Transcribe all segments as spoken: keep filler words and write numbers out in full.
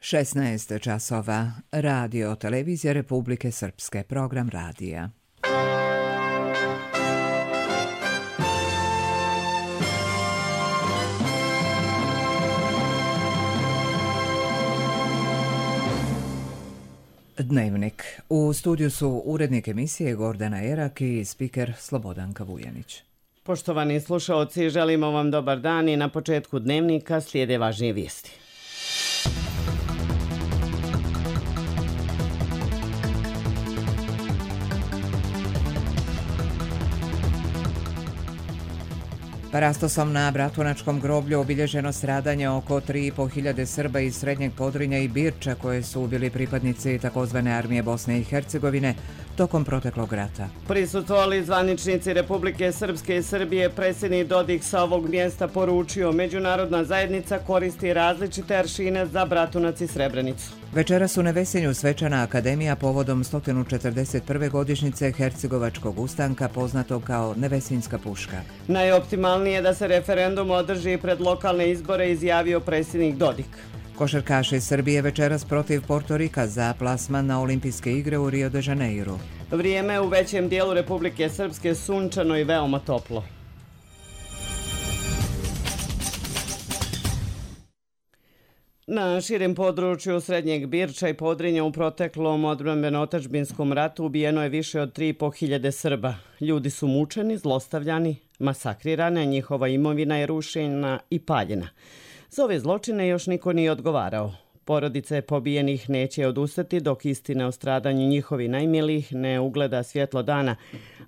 šesnaest časova. Radio Televizija Republike Srpske. Program radija. Dnevnik. U studiju su urednik emisije Gordana Erak i spiker Slobodanka Vujanić. Poštovani slušaoci, želimo vam dobar dan i na početku Dnevnika slijede važnije vijesti. Parastosom na Bratunačkom groblju obilježeno stradanje oko tri i po hiljade Srba iz Srednjeg Podrinja i Birča koji su bili pripadnici takozvane armije Bosne i Hercegovine tokom proteklog rata. Prisustvovali zvaničnici Republike Srpske i Srbije. Predsjednik Dodik sa ovog mjesta poručio: međunarodna zajednica koristi različite aršine za Bratunac i Srebrenicu. Večeras u Nevesinju svečana akademija povodom sto četrdeset prve godišnjice Hercegovačkog ustanka poznatog kao Nevesinjska puška. Najoptimalnije je da se referendum održi pred lokalne izbore, izjavio predsjednik Dodik. Košarkaši Srbije večeras protiv Portorika za plasman na olimpijske igre u Rio de Janeiru. Vrijeme u većem dijelu Republike Srpske sunčano i veoma toplo. Na širem području Srednjeg Birča i Podrinja u proteklom odbrambeno-otadžbinskom ratu ubijeno je više od tri i po hiljade Srba. Ljudi su mučeni, zlostavljani, masakrirani, njihova imovina je rušena i paljena. Za ove zločine još niko nije odgovarao. Porodice pobijenih neće odustati dok istina o stradanju njihovi najmilijih ne ugleda svjetlo dana,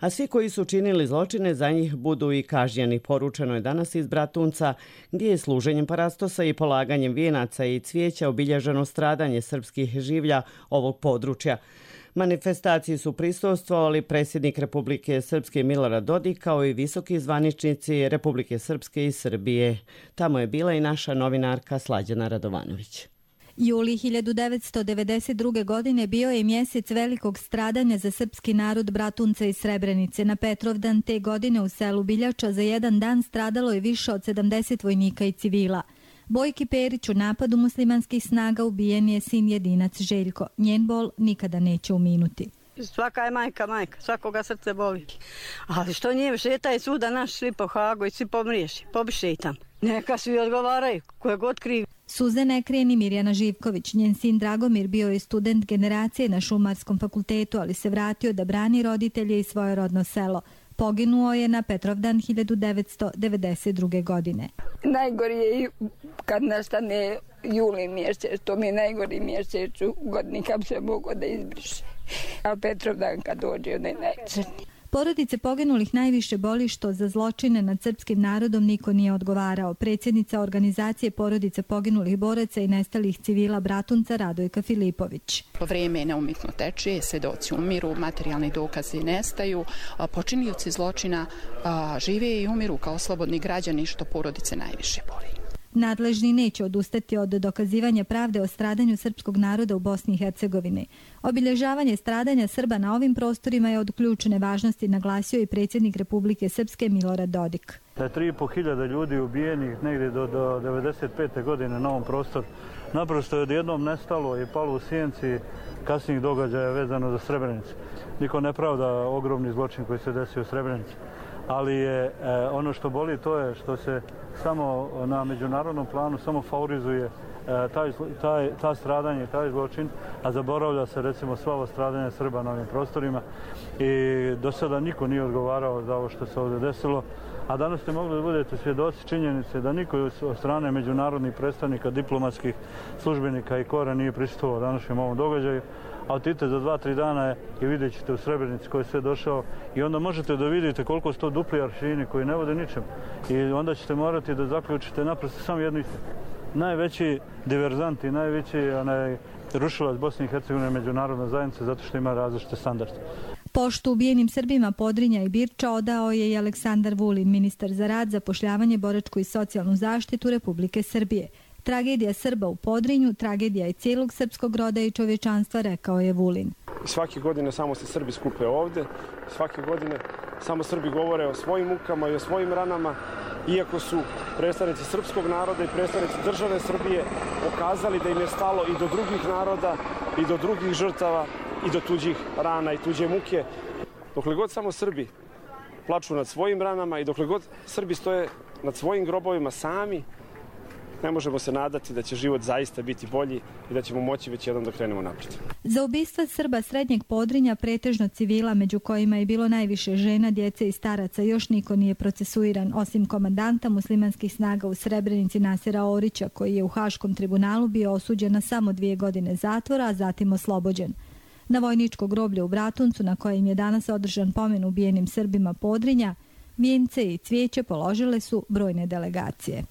a svi koji su činili zločine za njih budu i kažnjeni. Poručeno je danas iz Bratunca, gdje je služenjem parastosa i polaganjem vijenaca i cvijeća obilježeno stradanje srpskih življa ovog područja. Manifestaciji su prisustvovali predsjednik Republike Srpske Milorad Dodik kao i visoki zvaničnici Republike Srpske i Srbije. Tamo je bila i naša novinarka Slađana Radovanović. Juli hiljadu devetsto devedeset druge. godine bio je mjesec velikog stradanja za srpski narod Bratunca i Srebrenice. Na Petrovdan te godine u selu Biljača za jedan dan stradalo je više od sedamdeset vojnika i civila. Bojki Perić u napadu muslimanskih snaga ubijen je sin jedinac Željko. Njen bol nikada neće uminuti. Svaka je majka majka, svakoga srce boli. Ali što nije, šetaj svuda naš, svi po Hagu i svi pomriješi, pobiše tam. Neka svi odgovaraju, koje god krivi. Suze ne krije ni Mirjana Živković. Njen sin Dragomir bio je student generacije na Šumarskom fakultetu, ali se vratio da brani roditelje i svoje rodno selo. Poginuo je na Petrovdan hiljadu devetsto devedeset druge. godine. Najgori je kad nastane juli mjesec, to mi je najgori mjesec u godini kad se mogo da izbriše. A Petrovdan kad dođe, on je najcrniji. Porodice poginulih najviše boli što za zločine nad srpskim narodom niko nije odgovarao. Predsjednica organizacije porodice poginulih boraca i nestalih civila Bratunca Radojka Filipović. Vrijeme neumitno teče, svedoci umiru, materijalni dokazi nestaju, počinioci zločina žive i umiru kao slobodni građani, što porodice najviše boli. Nadležni neće odustati od dokazivanja pravde o stradanju srpskog naroda u Bosni i Hercegovini. Obilježavanje stradanja Srba na ovim prostorima je od ključne važnosti, naglasio i predsjednik Republike Srpske Milorad Dodik. Da je tri i po hiljade ljudi ubijenih negdje do, do devedeset pete. godine na ovom prostoru. Naprosto je odjednom nestalo i palo u sjenci kasnijih događaja vezano za Srebrenicu. Niko ne pravda ogromni zločin koji se desio u Srebrenici. Ali je e, ono što boli to je što se samo na međunarodnom planu samo favorizuje e, taj, taj, ta stradanje, taj zločin, a zaboravlja se recimo sva ova stradanja Srba na ovim prostorima i do sada niko nije odgovarao za ovo što se ovdje desilo. A danas ste mogli da budete svjedoci činjenice da niko od strane međunarodnih predstavnika, diplomatskih službenika i kora nije prisustvovao današnjem ovom događaju. A otidite za dva, tri dana je i vidjet ćete u Srebrenici koji je sve došao i onda možete da vidite koliko su to dupli aršini koji ne vode ničem. I onda ćete morati da zaključite naprosto samo jednu istinu. Najveći diverzant i najveći onaj, rušilac Bosne i Hercegovine međunarodna zajednica zato što ima različite standarde. Poštu ubijenim Srbima Podrinja i Birča odao je i Aleksandar Vulin, ministar za rad, zapošljavanje, boračku i socijalnu zaštitu Republike Srbije. Tragedija Srba u Podrinju, tragedija i cijelog srpskog roda i čovječanstva, rekao je Vulin. Svake godine samo se Srbi skupe ovdje, svake godine samo Srbi govore o svojim mukama i o svojim ranama iako su predstavnici srpskog naroda i predstavnici države Srbije pokazali da im je stalo i do drugih naroda i do drugih žrtava i do tuđih rana i tuđe muke. Dokle god samo Srbi plaču nad svojim ranama i dokle god Srbi stoje nad svojim grobovima sami, ne možemo se nadati da će život zaista biti bolji i da ćemo moći već jednom da krenemo naprijed. Za ubistva Srba Srednjeg Podrinja, pretežno civila, među kojima je bilo najviše žena, djece i staraca, još niko nije procesuiran, osim komandanta muslimanskih snaga u Srebrenici Nasera Orića, koji je u Haškom tribunalu bio osuđen na samo dvije godine zatvora, a zatim oslobođen. Na vojničko groblje u Bratuncu, na kojem je danas održan pomen ubijenim Srbima Podrinja, vijence i cvijeće položile su brojne delegacije.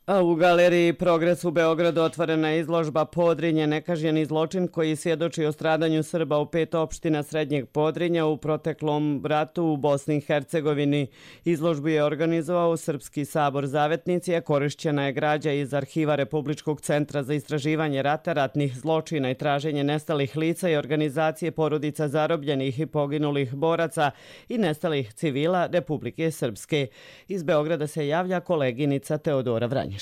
A u galeriji Progres u Beogradu otvorena je izložba Podrinje, nekažnjeni zločin koji svjedoči o stradanju Srba u pet opština Srednjeg Podrinja u proteklom ratu u Bosni i Hercegovini. Izložbu je organizovao Srpski sabor Zavetnici, a korišćena je građa iz arhiva Republičkog centra za istraživanje rata, ratnih zločina i traženje nestalih lica i organizacije porodica zarobljenih i poginulih boraca i nestalih civila Republike Srpske. Iz Beograda se javlja koleginica Teodora Vranješ.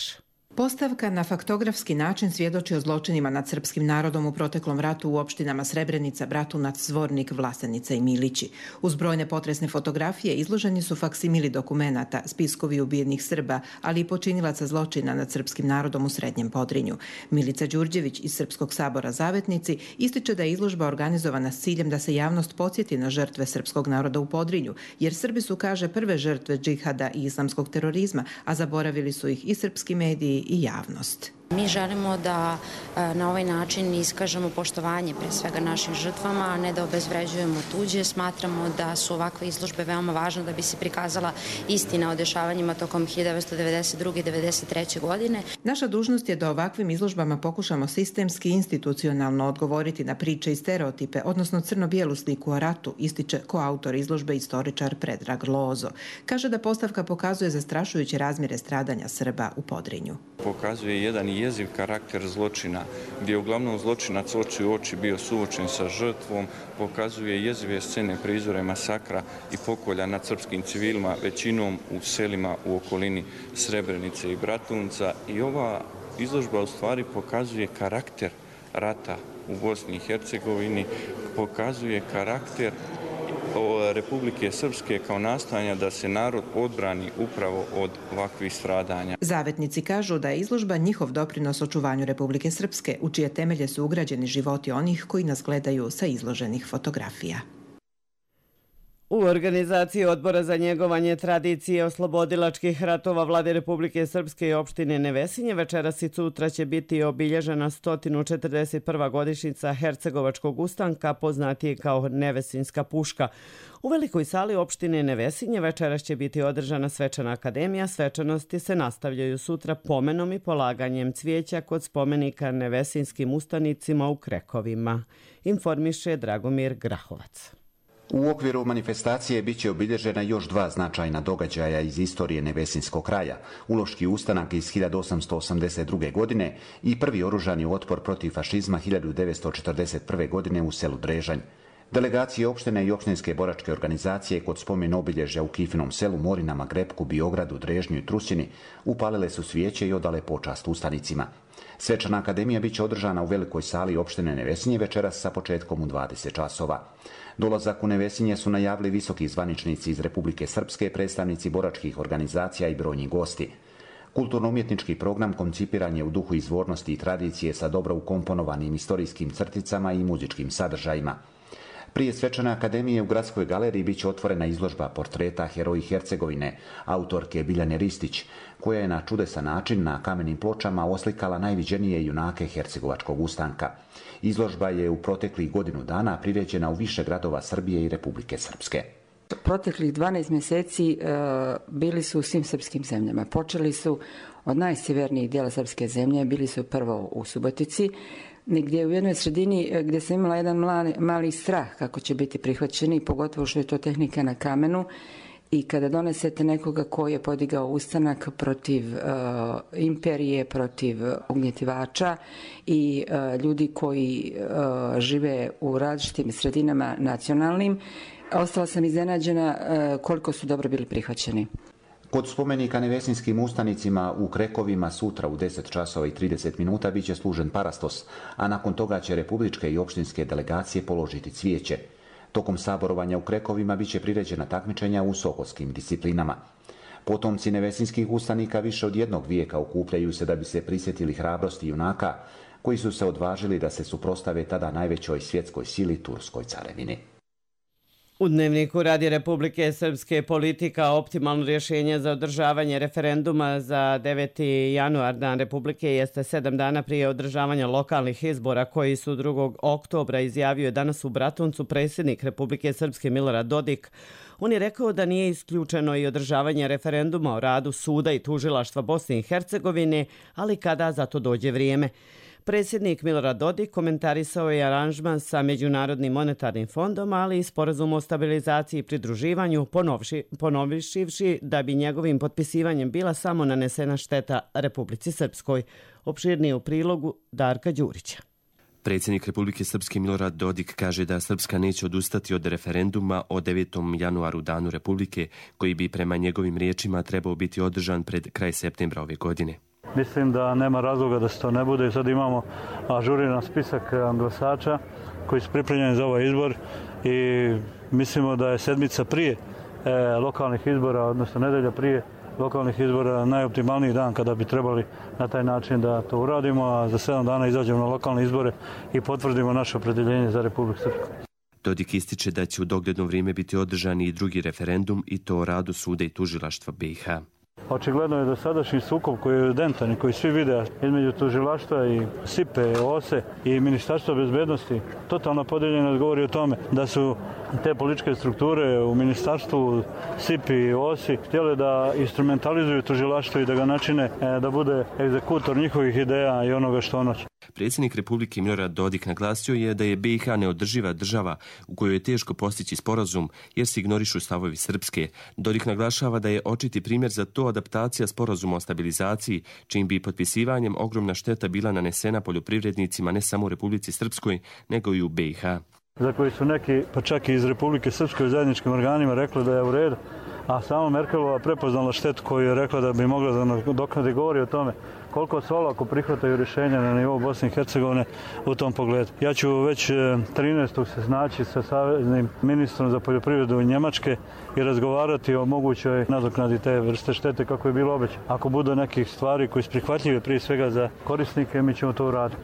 Postavka na faktografski način svjedoči o zločinima nad srpskim narodom u proteklom ratu u opštinama Srebrenica, Bratunac, Zvornik, Vlasenica i Milići. Uz brojne potresne fotografije izloženi su faksimili dokumenata, spiskovi ubijenih Srba, ali i počinilaca zločina nad srpskim narodom u Srednjem Podrinju. Milica Đurđević iz Srpskog sabora Zavetnici ističe da je izložba organizovana s ciljem da se javnost podsjeti na žrtve srpskog naroda u Podrinju, jer Srbi su, kaže, prve žrtve džihada i islamskog terorizma, a zaboravili su ih i srpski mediji i javnost. Mi želimo da na ovaj način iskažemo poštovanje pre svega našim žrtvama, a ne da obezvređujemo tuđe. Smatramo da su ovakve izložbe veoma važne da bi se prikazala istina o dešavanjima tokom hiljadu devetsto devedeset druge i devedeset treće godine. Naša dužnost je da ovakvim izložbama pokušamo sistemski i institucionalno odgovoriti na priče i stereotipe, odnosno crno-bijelu sliku o ratu, ističe koautor izložbe istoričar Predrag Lozo. Kaže da postavka pokazuje zastrašujuće razmjere stradanja Srba u Podrinju. Pokazuje jedan jeziv karakter zločina, gdje je uglavnom zločinac oči u oči bio suočen sa žrtvom, pokazuje jezive scene prizore masakra i pokolja nad srpskim civilima, većinom u selima u okolini Srebrenice i Bratunca. I ova izložba u stvari pokazuje karakter rata u Bosni i Hercegovini, pokazuje karakter Republike Srpske kao nastojanja da se narod odbrani upravo od ovakvih stradanja. Zavetnici kažu da je izložba njihov doprinos očuvanju Republike Srpske, u čije temelje su ugrađeni životi onih koji nas gledaju sa izloženih fotografija. U organizaciji Odbora za njegovanje tradicije oslobodilačkih ratova Vlade Republike Srpske i opštine Nevesinje večeras i sutra će biti obilježena sto četrdeset prva godišnjica Hercegovačkog ustanka, poznatije kao Nevesinjska puška. U velikoj sali opštine Nevesinje večeras će biti održana svečana akademija. Svečanosti se nastavljaju sutra pomenom i polaganjem cvijeća kod spomenika nevesinjskim ustanicima u Krekovima. Informiše Dragomir Grahovac. U okviru manifestacije bit će obilježena još dva značajna događaja iz istorije Nevesinjskog kraja, Uloški ustanak iz hiljadu osamsto osamdeset druge. godine i prvi oružani otpor protiv fašizma hiljadu devetsto četrdeset prve. godine u selu Drežanj. Delegacije opštine i opštinske boračke organizacije kod spomen obilježja u Kifinom selu, Morinama, Grepku, Biogradu, Drežnju i Trusini upalile su svijeće i odale počast ustanicima. Svečana akademija bit će održana u velikoj sali opštine Nevesinje večeras sa početkom u dvadeset časova. Dolazak u Nevesinje su najavili visoki zvaničnici iz Republike Srpske, predstavnici boračkih organizacija i brojni gosti. Kulturno-umjetnički program koncipiran je u duhu izvornosti i tradicije sa dobro ukomponovanim istorijskim crticama i muzičkim sadržajima. Prije svečane akademije u Gradskoj galeriji bit će otvorena izložba portreta heroji Hercegovine, autorke Biljane Ristić, koja je na čudesan način na kamenim pločama oslikala najviđenije junake Hercegovačkog ustanka. Izložba je u proteklih godinu dana priređena u više gradova Srbije i Republike Srpske. Proteklih dvanaest mjeseci e, bili su u svim srpskim zemljama. Počeli su od najsjevernijih dijela srpske zemlje, bili su prvo u Subotici, gdje u jednoj sredini gdje sam imala jedan mali, mali strah kako će biti prihvaćeni, pogotovo što je to tehnika na kamenu. I kada donesete nekoga koji je podigao ustanak protiv uh, imperije, protiv ugnjetivača i uh, ljudi koji uh, žive u različitim sredinama nacionalnim, ostala sam iznenađena uh, koliko su dobro bili prihvaćeni. Kod spomenika nevesinskim ustanicima u Krekovima sutra u deset časova i trideset minuta biće služen parastos, a nakon toga će republičke i opštinske delegacije položiti cvijeće. Tokom saborovanja u Krekovima biće priređena takmičenja u sokolskim disciplinama. Potomci nevesinskih ustanika više od jednog vijeka okupljaju se da bi se prisjetili hrabrosti junaka koji su se odvažili da se suprostave tada najvećoj svjetskoj sili Turskoj carevini. U Dnevniku radi Republike Srpske politika optimalno rješenje za održavanje referenduma za deveti januar, dan Republike, jeste sedam dana prije održavanja lokalnih izbora koji su drugog oktobra, izjavio je danas u Bratuncu predsjednik Republike Srpske Milorad Dodik. On je rekao da nije isključeno i održavanje referenduma o radu suda i tužilaštva Bosne i Hercegovine, ali kada za to dođe vrijeme. Predsjednik Milorad Dodik komentarisao je aranžman sa Međunarodnim monetarnim fondom, ali i sporazum o stabilizaciji i pridruživanju, ponovivši da bi njegovim potpisivanjem bila samo nanesena šteta Republici Srpskoj. Opširnije u prilogu Darka Đurića. Predsjednik Republike Srpske Milorad Dodik kaže da Srpska neće odustati od referenduma o devetom januaru, danu Republike, koji bi prema njegovim riječima trebao biti održan pred kraj septembra ove godine. Mislim da nema razloga da se to ne bude. Sad imamo ažuriran spisak glasača koji su pripremljeni za ovaj izbor i mislimo da je sedmica prije e, lokalnih izbora, odnosno nedelja prije lokalnih izbora, najoptimalniji dan kada bi trebali na taj način da to uradimo, a za sedam dana izađemo na lokalne izbore i potvrdimo naše opredjeljenje za Republiku Srpsku. Dodik ističe da će u dogledno vrijeme biti održan i drugi referendum, i to o radu suda i tužilaštva B i H. Očigledno je dosadašnji sukob koji je evidentan i koji svi vide između tužilaštva i S I P E, O S E i Ministarstva bezbednosti totalno podijeljeno govori o tome da su te političke strukture u ministarstvu S I P I i O S I htjeli da instrumentalizuju tužilaštvo i da ga načine da bude egzekutor njihovih ideja i onoga što ono će. Predsjednik Republike Milorad Dodik naglasio je da je B i H neodrživa država u kojoj je teško postići sporazum jer se ignorišu stavovi Srpske. Dodik naglašava da je očiti primjer za to adaptacija sporazuma o stabilizaciji, čim bi potpisivanjem ogromna šteta bila nanesena poljoprivrednicima ne samo u Republici Srpskoj, nego i u B i H. Za koji su neki, pa čak i iz Republike Srpske u zajedničkim organima rekli da je u redu, a samo Merkelova prepoznala štetu koju je rekla da bi mogla da nadoknadi, govori o tome koliko se olako prihvataju rješenja na nivou Bosne i Hercegovine u tom pogledu. Ja ću već trinaestog se snaći sa saveznim ministrom za poljoprivredu Njemačke i razgovarati o mogućoj nadoknadi te vrste štete kako je bilo obećano. Ako bude nekih stvari koje su prihvatljive prije svega za korisnike, mi ćemo to uraditi.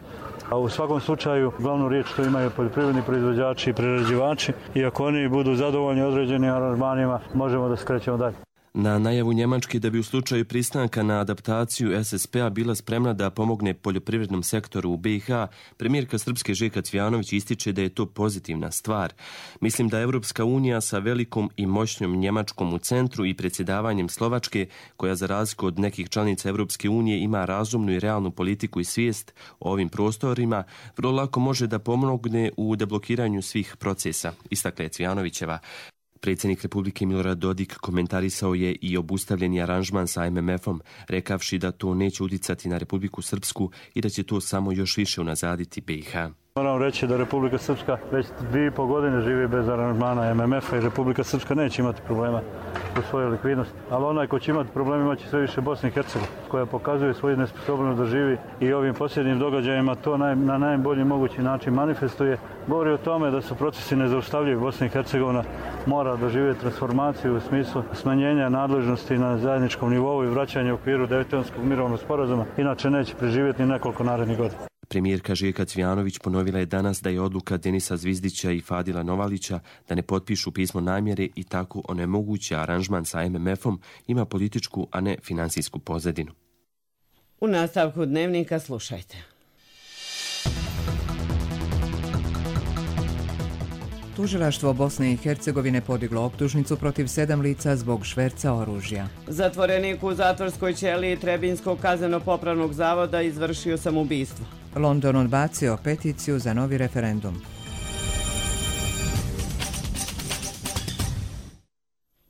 A u svakom slučaju glavnu riječ što imaju poljoprivredni proizvođači i prerađivači i ako oni budu zadovoljni određenim aranžmanima, možemo da skrećemo dalje. Na najavu Njemačke da bi u slučaju pristanka na adaptaciju S S P-a bila spremna da pomogne poljoprivrednom sektoru u B i H, premijerka Srpske Željka Cvijanović ističe da je to pozitivna stvar. Mislim da Evropska unija sa velikom i moćnom Njemačkom u centru i predsjedavanjem Slovačke, koja za razliku od nekih članica Evropske unije ima razumnu i realnu politiku i svijest o ovim prostorima, vrlo lako može da pomogne u deblokiranju svih procesa, istakla je Cvijanovićeva. Predsjednik Republike Milorad Dodik komentarisao je i obustavljeni aranžman sa M M F-om, rekavši da to neće uticati na Republiku Srpsku i da će to samo još više unazaditi B i H. Moram reći da Republika Srpska već dvije i pol godine živi bez aranžmana M M F-a i Republika Srpska neće imati problema u svojoj likvidnosti. Ali onaj ko će imati problema imaće sve više Bosne i Hercegovine, koja pokazuje svoju nesposobnost da živi i ovim posljednjim događajima to naj, na najbolji mogući način manifestuje. Govori o tome da su procesi nezaustavljivi. Bosna i Hercegovina mora doživjeti transformaciju u smislu smanjenja nadležnosti na zajedničkom nivou i vraćanja u okviru Daytonskog mirovnog sporazuma. Inače neće preživjeti ni nekoliko narednih godina. Premijerka Željka Cvijanović ponovila je danas da je odluka Denisa Zvizdića i Fadila Novalića da ne potpišu pismo namjere i tako onemoguće aranžman sa M M F-om ima političku, a ne finansijsku pozadinu. U nastavku Dnevnika slušajte. Tužilaštvo Bosne i Hercegovine podiglo optužnicu protiv sedam lica zbog šverca oružja. Zatvorenik u zatvorskoj ćeliji Trebinskog kazneno-popravnog zavoda izvršio samoubistvo. London odbacio peticiju za novi referendum.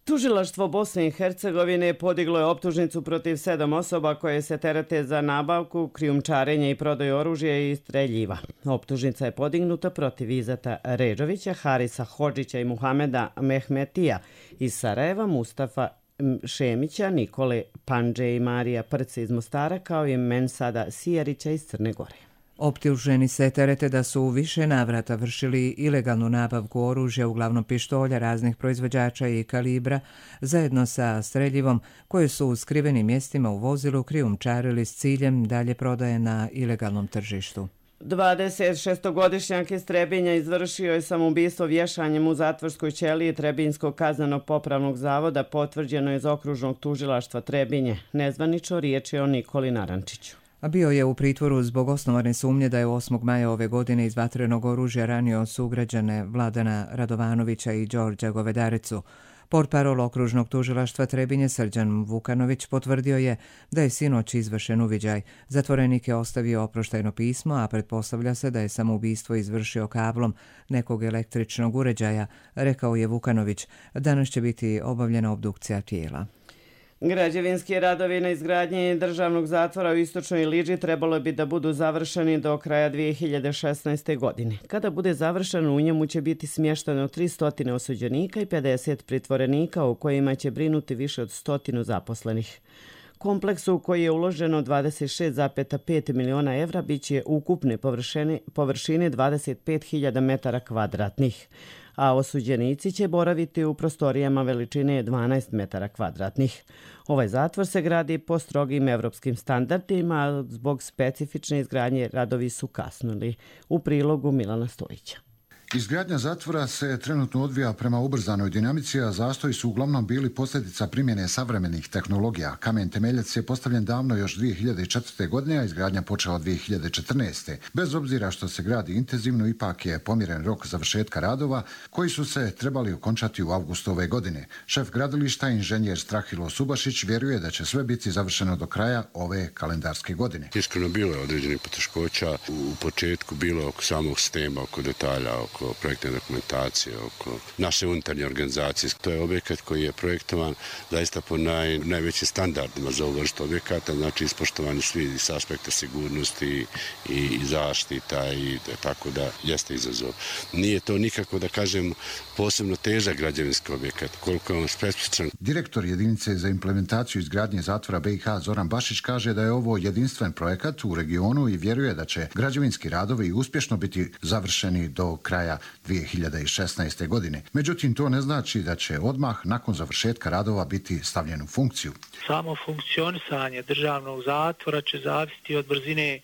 Tužilaštvo Bosne i Hercegovine podiglo je optužnicu protiv sedam osoba koje se terete za nabavku, krijumčarenje i prodaju oružja i streljiva. Optužnica je podignuta protiv Izeta Ređovića, Harisa Hodžića i Muhameda Mehmetija iz Sarajeva, Mustafa Šemića, Nikole Pandže i Marija Prce iz Mostara, kao i Mensada Sijarića iz Crne Gore. Optuženi se terete da su u više navrata vršili ilegalnu nabavku oružja, uglavnom pištolja raznih proizvođača i kalibra, zajedno sa streljivom koje su u skrivenim mjestima u vozilu krijumčarili s ciljem dalje prodaje na ilegalnom tržištu. dvadesetšestogodišnjak iz Trebinja izvršio je samoubistvo vješanjem u zatvorskoj ćeliji Trebinjskog kaznenog popravnog zavoda, potvrđeno iz okružnog tužilaštva Trebinje. Nezvanično riječ je o Nikoli Narančiću. Bio je u pritvoru zbog osnovane sumnje da je osmog maja ove godine iz vatrenog oružja ranio sugrađane Vladana Radovanovića i Đorđa Govedaricu. Portparol okružnog tužilaštva Trebinje Srđan Vukanović potvrdio je da je sinoć izvršen uviđaj. Zatvorenik je ostavio oproštajno pismo, a pretpostavlja se da je samoubistvo izvršio kablom nekog električnog uređaja, rekao je Vukanović. Danas će biti obavljena obdukcija tijela. Građevinski radovi na izgradnji državnog zatvora u Istočnoj Liđi trebalo bi da budu završeni do kraja dvije hiljade šesnaeste. godine. Kada bude završen, u njemu će biti smješteno tristo osuđenika i pedeset pritvorenika, u kojima će brinuti više od stotinu zaposlenih. Kompleks u koji je uloženo dvadeset šest zarez pet miliona evra biće ukupne površine, površine dvadeset pet hiljada metara kvadratnih, a osuđenici će boraviti u prostorijama veličine dvanaest metara kvadratnih. Ovaj zatvor se gradi po strogim evropskim standardima, a zbog specifične izgradnje radovi su kasnili. U prilogu Milana Stojića. Izgradnja zatvora se trenutno odvija prema ubrzanoj dinamici, a zastoji su uglavnom bili posljedica primjene savremenih tehnologija. Kamen temeljac je postavljen davno još dvije hiljade četvrte. godine, a izgradnja počela dvije hiljade četrnaeste. Bez obzira što se gradi intenzivno, ipak je pomjeren rok završetka radova koji su se trebali okončati u avgustu ove godine. Šef gradilišta, inženjer Strahilo Subašić, vjeruje da će sve biti završeno do kraja ove kalendarske godine. Iskreno bilo je određenih poteškoća u početku, bilo oko samog sistema, oko detalja, oko projektne dokumentacije, oko naše unutarnje organizacije. To je objekat koji je projektovan zaista po naj, najvećim standardima za ovu vrstu objekata, znači ispoštovani svi s aspekta sigurnosti i, i zaštita, i tako da jeste izazov. Nije to nikako, da kažem, posebno težak građevinski objekat, koliko je on specifičan. Direktor jedinice za implementaciju izgradnje zatvora B i H Zoran Bašić kaže da je ovo jedinstven projekat u regionu i vjeruje da će građevinski radovi uspješno biti završeni do kraja dvije hiljade šesnaeste. godine. Međutim, to ne znači da će odmah nakon završetka radova biti stavljen u funkciju. Samo funkcionisanje državnog zatvora će zavisiti od brzine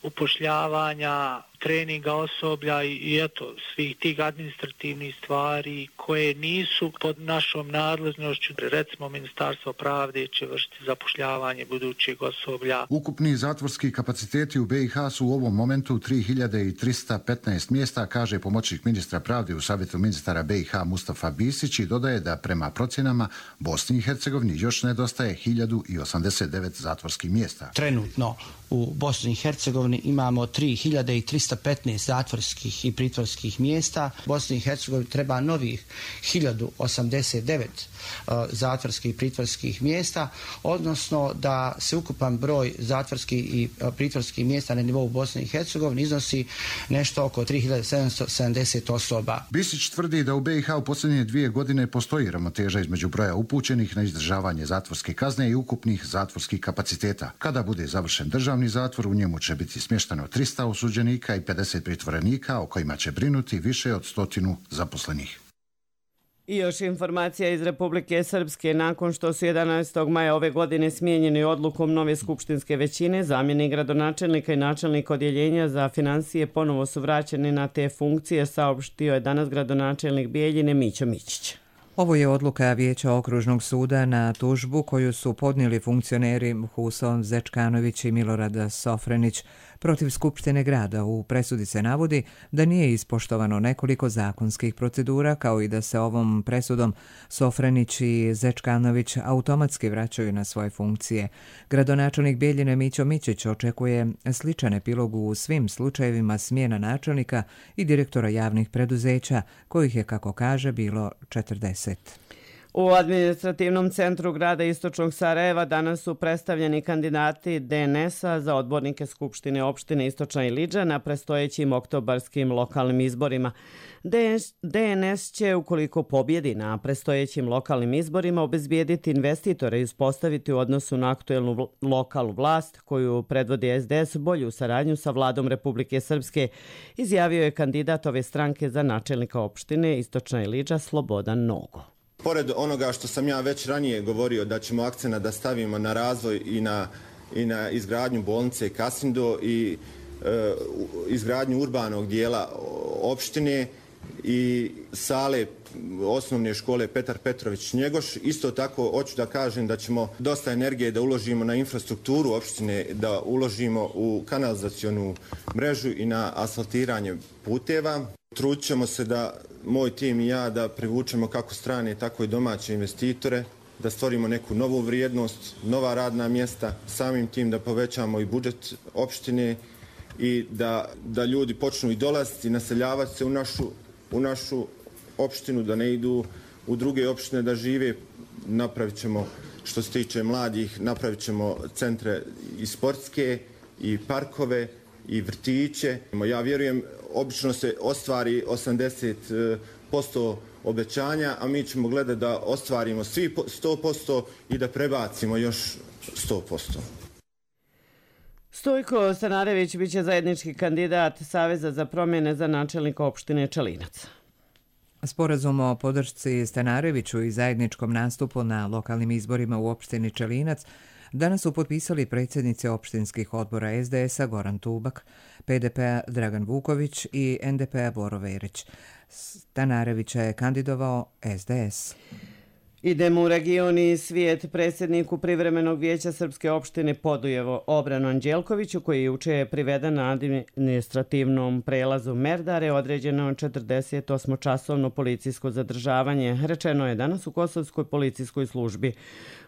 upošljavanja, treninga osoblja i, i eto, svih tih administrativnih stvari koje nisu pod našom nadležnošću. Recimo, Ministarstvo pravde će vršiti zapošljavanje budućeg osoblja. Ukupni zatvorski kapaciteti u B i H su u ovom momentu tri hiljade trista petnaest mjesta, kaže pomoćnik ministra pravde u Savjetu ministara B i H Mustafa Bisić, i dodaje da prema procjenama Bosni i Hercegovini još nedostaje hiljadu osamdeset devet zatvorskih mjesta. Trenutno u Bosni i Hercegovini imamo tri hiljade trista petnaest zatvorskih i pritvorskih mjesta. Bosni i Hercegovini treba novih hiljadu osamdeset devet uh, zatvorskih i pritvorskih mjesta, odnosno da se ukupan broj zatvorskih i uh, pritvorskih mjesta na nivou Bosne i Hercegovine iznosi nešto oko tri hiljade sedamsto sedamdeset osoba. Bisić tvrdi da u B i H u posljednje dvije godine postoji ravnoteža između broja upućenih na izdržavanje zatvorske kazne i ukupnih zatvorskih kapaciteta. Kada bude završen državni zatvor, u njemu će biti smješteno trista osuđenika i pedeset pritvorenika, o kojima će brinuti više od stotinu zaposlenih. I još informacija iz Republike Srpske. Nakon što su jedanaestog maja ove godine smijenjeni odlukom nove skupštinske većine, zamjenik gradonačelnika i načelnik odjeljenja za financije ponovo su vraćeni na te funkcije, saopštio je danas gradonačelnik Bijeljine Mićo Mićić. Ovo je odluka Vijeća okružnog suda na tužbu koju su podnijeli funkcioneri Huson Zečkanović i Milorad Sofrenić protiv Skupštine grada. U presudi se navodi da nije ispoštovano nekoliko zakonskih procedura, kao i da se ovom presudom Sofrenić i Zečkanović automatski vraćaju na svoje funkcije. Gradonačelnik Bijeljine Mićo Mićić očekuje sličan epilog u svim slučajevima smjena načelnika i direktora javnih preduzeća, kojih je, kako kaže, bilo četrdeset. U administrativnom centru grada Istočnog Sarajeva danas su predstavljeni kandidati D N S-a za odbornike Skupštine opštine Istočna Ilidža na prestojećim oktobarskim lokalnim izborima. D N S će, ukoliko pobjedi na prestojećim lokalnim izborima, obezbijediti investitore i uspostaviti u odnosu na aktuelnu lokalnu vlast koju predvodi S D S bolju saradnju sa vladom Republike Srpske, izjavio je kandidat ove stranke za načelnika opštine Istočna Ilidža Slobodan Nogo. Pored onoga što sam ja već ranije govorio da ćemo akcenat da stavimo na razvoj i na, i na izgradnju bolnice Kasindo i e, izgradnju urbanog dijela opštine i sale osnovne škole Petar Petrović Njegoš, isto tako hoću da kažem da ćemo dosta energije da uložimo na infrastrukturu opštine, da uložimo u kanalizacionu mrežu i na asfaltiranje puteva. Trudit ćemo se da moj tim i ja da privučemo kako strane, tako i domaće investitore, da stvorimo neku novu vrijednost, nova radna mjesta, samim tim da povećamo i budžet opštine i da, da ljudi počnu i dolaziti i naseljavati se u našu, u našu opštinu, da ne idu u druge opštine da žive. Napravit ćemo, što se tiče mladih, napravit ćemo centre i sportske i parkove i vrtiće. Ja vjerujem, obično se ostvari osamdeset posto obećanja, a mi ćemo gledati da ostvarimo svi sto posto i da prebacimo još sto posto. Stojko Stanarević biće zajednički kandidat Saveza za promjene za načelnika opštine Čelinac. Sporazum o podršci Stanareviću i zajedničkom nastupu na lokalnim izborima u opštini Čelinac danas su potpisali predsjednici opštinskih odbora S D S-a Goran Tubak, P D P-a Dragan Vuković i N D P-a Boro Verić. Stanarevića je kandidovao S D S. Idemo u region i svijet. Predsjedniku privremenog vijeća Srpske opštine Podujevo Obranu Anđelkoviću, koji juče je priveden na administrativnom prelazu Merdare, određeno četrdesetosmočasovno policijsko zadržavanje. Rečeno je danas u Kosovskoj policijskoj službi.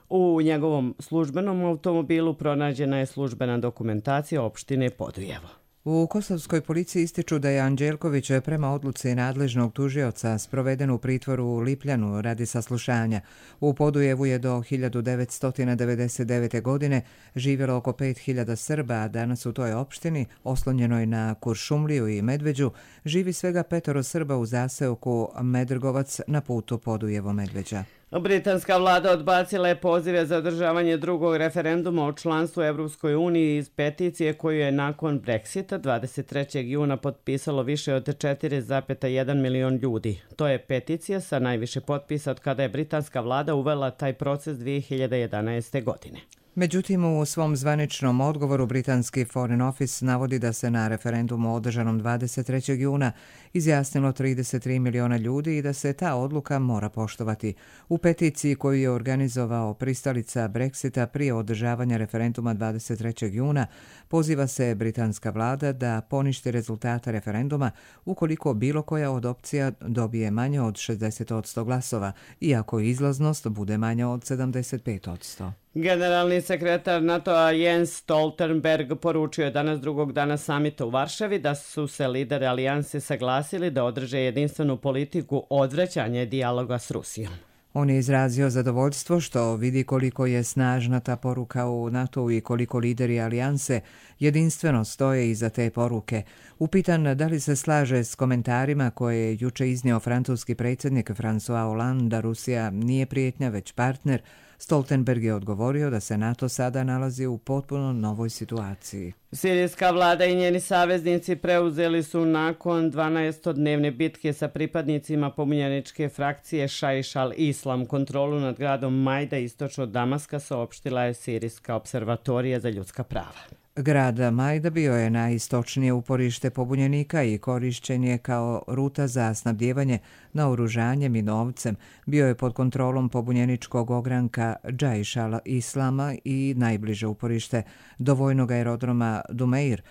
U njegovom službenom automobilu pronađena je službena dokumentacija opštine Podujevo. U Kosovskoj policiji ističu da je Anđelković prema odluci nadležnog tužioca sproveden u pritvoru u Lipljanu radi saslušanja. U Podujevu je do hiljadu devetsto devedeset devete. godine živjelo oko pet hiljada Srba, a danas u toj opštini, oslonjenoj na Kuršumliju i Medveđu, živi svega petoro Srba u zaseoku Medrgovac na putu Podujevo-Medveđa. Britanska vlada odbacila je pozive za održavanje drugog referenduma o članstvu u Evropskoj uniji iz peticije koju je nakon Brexita dvadeset trećeg juna potpisalo više od četiri zarez jedan milion ljudi. To je peticija sa najviše potpisa od kada je britanska vlada uvela taj proces dvije hiljade jedanaeste. godine. Međutim, u svom zvaničnom odgovoru britanski Foreign Office navodi da se na referendumu održanom dvadeset trećeg juna izjasnilo trideset tri miliona ljudi i da se ta odluka mora poštovati. U peticiji koju je organizovao pristalica Brexita prije održavanja referenduma dvadeset trećeg juna poziva se britanska vlada da poništi rezultate referenduma ukoliko bilo koja od opcija dobije manje od šezdeset posto glasova, iako izlaznost bude manja od sedamdeset pet posto. Generalni sekretar NATO-a Jens Stoltenberg poručio je danas drugog dana samita u Varšavi da su se lideri alijanse saglasili da održe jedinstvenu politiku odvraćanja dijaloga s Rusijom. On je izrazio zadovoljstvo što vidi koliko je snažna ta poruka u NATO-u i koliko lideri alijanse jedinstveno stoje iza te poruke. Upitan da li se slaže s komentarima koje je juče iznio francuski predsjednik François Hollande da Rusija nije prijetnja već partner, Stoltenberg je odgovorio da se NATO sada nalazi u potpuno novoj situaciji. Sirijska vlada i njeni saveznici preuzeli su nakon dvanaestodnevne bitke sa pripadnicima pobunjeničke frakcije Šaiš al-Islam kontrolu nad gradom Majda istočno od Damaska, saopštila je Sirijska observatorija za ljudska prava. Grad Majda bio je najistočnije uporište pobunjenika i korišćen je kao ruta za snabdijevanje naoružanjem i novcem. Bio je pod kontrolom pobunjeničkog ogranka Džaiš al-Islama i najbliže uporište do vojnog aerodroma Dumeir,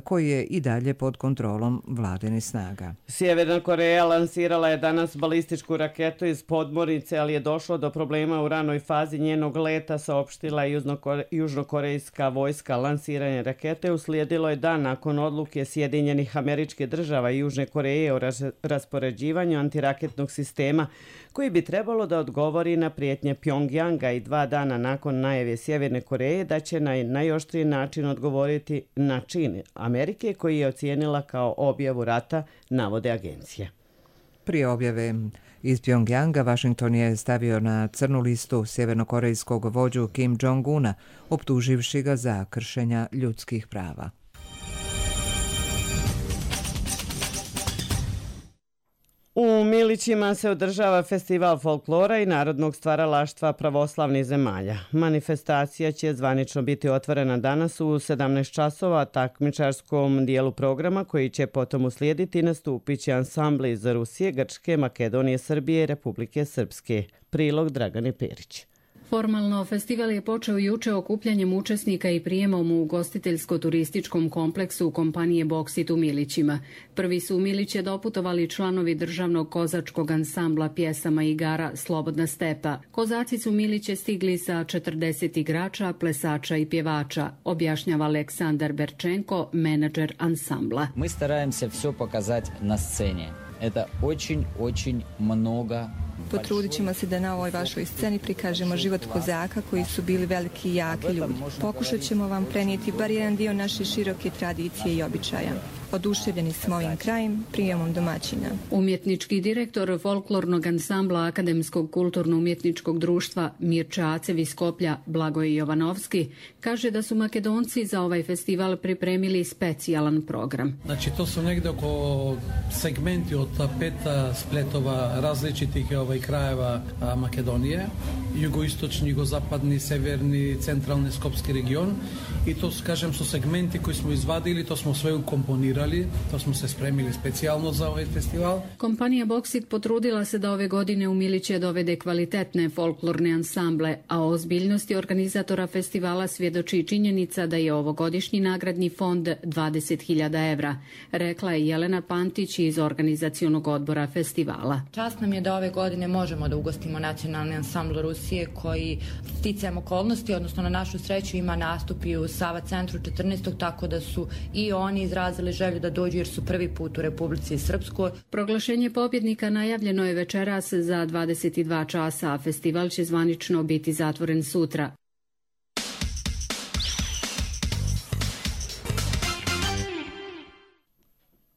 koji je i dalje pod kontrolom vladinih snaga. Sjeverna Koreja lansirala je danas balističku raketu iz podmornice, ali je došlo do problema u ranoj fazi njenog leta, saopštila je južnokorejska vojska. Lansiranje testiranje rakete uslijedilo je dan nakon odluke Sjedinjenih Američkih Država i Južne Koreje o raspoređivanju antiraketnog sistema koji bi trebalo da odgovori na prijetnje Pjongjanga i dva dana nakon najave Sjeverne Koreje da će na najoštriji način odgovoriti na čin Amerike koji je ocijenila kao objavu rata, navode agencije. Prije objave iz Pjongjanga, Washington je stavio na crnu listu sjevernokorejskog vođu Kim Jong-una, optuživši ga za kršenja ljudskih prava. U Milićima se održava festival folklora i narodnog stvaralaštva pravoslavnih zemalja. Manifestacija će zvanično biti otvorena danas u sedamnaest časova takmičarskom dijelu programa koji će potom uslijediti nastupit će ansambli iz Rusije, Grčke, Makedonije, Srbije i Republike Srpske. Prilog Dragane Perić. Formalno, festival je počeo juče okupljanjem učesnika i prijemom u ugostiteljsko-turističkom kompleksu kompanije Boksit u Milićima. Prvi su u Miliće doputovali članovi državnog kozačkog ansambla pjesama i igara Slobodna stepa. Kozaci su Miliće stigli sa četrdeset igrača, plesača i pjevača, objašnjava Aleksandar Berčenko, menadžer ansambla. Mi staramo se sve pokazati na sceni. Это очень-очень много. Potrudit ćemo se da na ovoj vašoj sceni prikažemo život kozaka koji su bili veliki i jaki ljudi. Pokušat ćemo vam prenijeti bar jedan dio naše široke tradicije i običaja. Oduševljeni smo ovim krajem, prijemom domaćina. Umjetnički direktor folklornog ansambla Akademskog kulturno-umjetničkog društva Mirča Acev iz Skoplja, Blagoje Jovanovski, kaže da su Makedonci za ovaj festival pripremili specijalan program. Znači, to su negdje oko segmenti od peta spletova različitih ovaj, krajeva a, Makedonije, jugoistočni, jugozapadni, severni, centralni skopski region i to, kažem, su segmenti koji smo izvadili, to smo sve ukomponirali. To smo se spremili specijalno za ovaj festival. Kompanija Boksit potrudila se da ove godine u Miliće dovede kvalitetne folklorne ansamble, a o ozbiljnosti organizatora festivala svjedoči činjenica da je ovogodišnji nagradni fond dvadeset hiljada evra, rekla je Jelena Pantić iz organizacionog odbora festivala. Čast nam je da ove godine možemo da ugostimo nacionalni ansambl Rusije koji sticajem okolnosti, odnosno na našu sreću ima nastup i u Sava centru četrnaestog tako da su i oni izrazili želju da dođu jer su prvi put u Republici Srpskoj. Proglašenje pobjednika najavljeno je večeras za dvadeset dva časa, a festival će zvanično biti zatvoren sutra.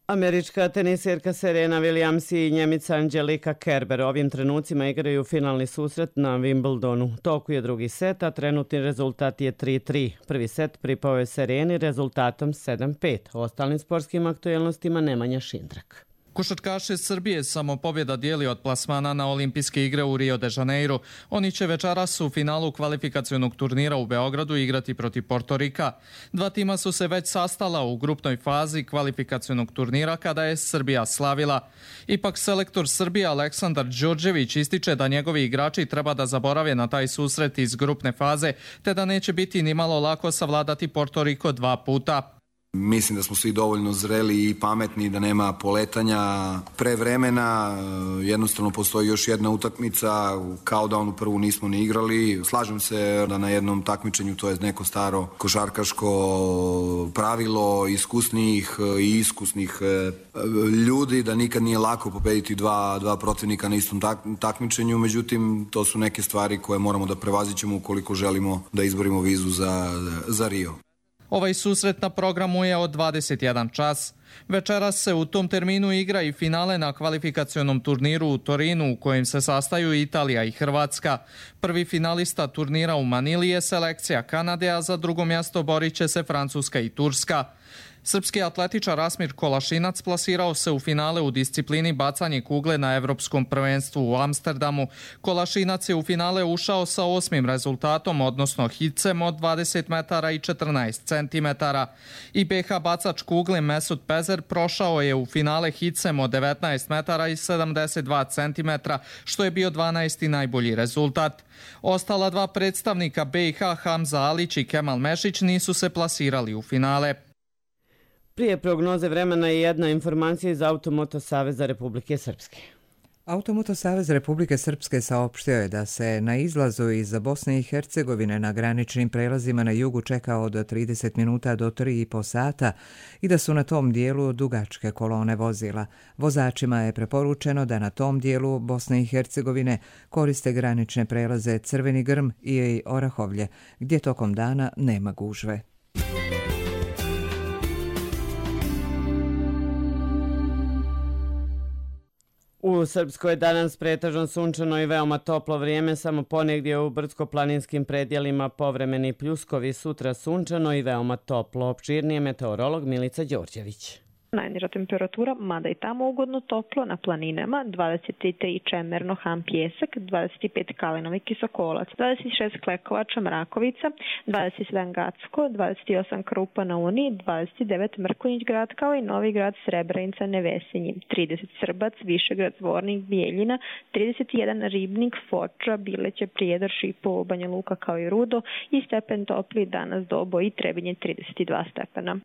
Američka tenisirka Serena Williams i Njemica Angelika Kerber ovim trenucima igraju finalni susret na Wimbledonu. Toku je drugi set, a trenutni rezultat je tri tri. Prvi set pripao je Sereni rezultatom sedam pet. O ostalim sportskim aktuelnostima Nemanja Šindrak. Košarkaši Srbije samo pobjeda dijeli od plasmana na olimpijske igre u Rio de Janeiro. Oni će večeras u finalu kvalifikacionog turnira u Beogradu igrati protiv Portorika. Dva tima su se već sastala u grupnoj fazi kvalifikacionog turnira kada je Srbija slavila. Ipak selektor Srbije Aleksandar Đorđević ističe da njegovi igrači treba da zaborave na taj susret iz grupne faze, te da neće biti ni malo lako savladati Portoriko dva puta. Mislim da smo svi dovoljno zreli i pametni, da nema poletanja pre vremena. Jednostavno postoji još jedna utakmica, kao da onu prvu nismo ni igrali. Slažem se da na jednom takmičenju, to je neko staro košarkaško pravilo iskusnih i iskusnih ljudi, da nikad nije lako pobediti dva, dva protivnika na istom tak, takmičenju. Međutim, to su neke stvari koje moramo da prevazićemo ukoliko želimo da izborimo vizu za, za Rio. Ovaj susret na programu je od dvadeset jedan čas. Večeras se u tom terminu igra i finale na kvalifikacionom turniru u Torinu u kojem se sastaju Italija i Hrvatska. Prvi finalista turnira u Manili je selekcija Kanade, a za drugo mjesto borit će se Francuska i Turska. Srpski atletičar Asmir Kolašinac plasirao se u finale u disciplini bacanje kugle na Evropskom prvenstvu u Amsterdamu. Kolašinac je u finale ušao sa osmim rezultatom, odnosno hicem od dvadeset metara i četrnaest centimetara. I be ha bacač kugle Mesut Pezer prošao je u finale hicem od devetnaest metara i sedamdeset dva centimetra, što je bio dvanaesti najbolji rezultat. Ostala dva predstavnika be i ha, Hamza Alić i Kemal Mešić, nisu se plasirali u finale. Prije prognoze vremena je jedna informacija iz Automoto Saveza Republike Srpske. Automoto savez Republike Srpske saopštio je da se na izlazu iz Bosne i Hercegovine na graničnim prelazima na jugu čeka od trideset minuta do tri i po sata i da su na tom dijelu dugačke kolone vozila. Vozačima je preporučeno da na tom dijelu Bosne i Hercegovine koriste granične prelaze Crveni Grm i Orahovlje, gdje tokom dana nema gužve. U Srpskoj je danas pretežno sunčano i veoma toplo vrijeme, samo ponegdje u brdsko-planinskim predjelima povremeni pljuskovi, sutra sunčano i veoma toplo. Opširnije meteorolog Milica Đorđević. Najniža temperatura, mada i tamo ugodno toplo, na planinama dvadeset tri Čemerno, Han Pjesak, dvadeset pet Kalinovi Kisokolac, dvadeset šest Klekovača, Mrakovica, dvadeset sedam Gacko, dvadeset osam Krupa na Uni, dvadeset devet Mrkonjić grad kao i Novi grad Srebrenica, Nevesinji, trideset Srbac, Višegrad, Zvornik, Bijeljina, trideset jedan Ribnik, Foča, Bileće, Prijedor, Šipovo, Banja Luka kao i Rudo i stepen topli danas Dobo i Trebinje trideset dva stepena.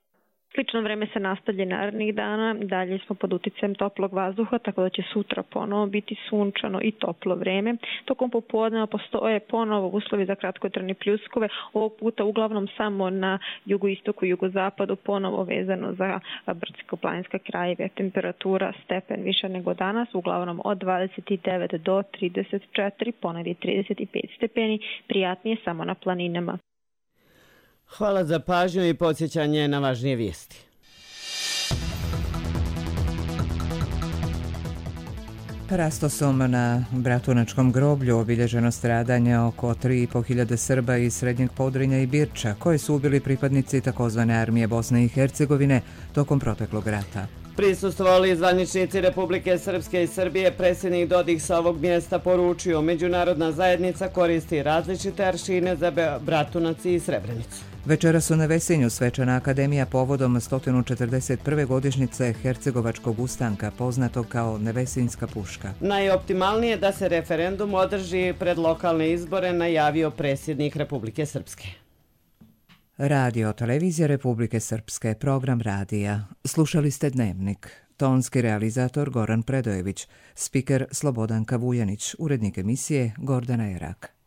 Slično vreme se nastavlja narednih dana, dalje smo pod uticajem toplog vazduha, tako da će sutra ponovo biti sunčano i toplo vreme. Tokom popodneva postoje ponovo uslovi za kratkotrajne pljuskove, ovog puta uglavnom samo na jugoistoku i jugozapadu, ponovo vezano za brdsko-planinske krajeve. Temperatura stepen više nego danas, uglavnom od dvadeset devet do trideset četiri, ponegdje trideset pet stepeni, prijatnije samo na planinama. Hvala za pažnju i podsjećanje na važnije vijesti. Parastosom na Bratunačkom groblju obilježeno stradanje oko tri i po hiljade Srba iz Srednjeg Podrinja i Birča, koje su ubili pripadnici takozvane armije Bosne i Hercegovine tokom proteklog rata. Prisustvovali zvaničnici Republike Srpske i Srbije, predsjednik Dodik sa ovog mjesta poručio: međunarodna zajednica koristi različite aršine za Bratunac i Srebrenicu. Večeras su na Vesinju svečana akademija povodom sto četrdeset prve godišnjice Hercegovačkog ustanka, poznatog kao Nevesinjska puška. Najoptimalnije da se referendum održi pred lokalne izbore, najavio predsjednik Republike Srpske. Radio Televizija Republike Srpske, program radija. Slušali ste Dnevnik. Tonski realizator Goran Predojević, spiker Slobodanka Vujanić, urednik emisije Gordana Erak.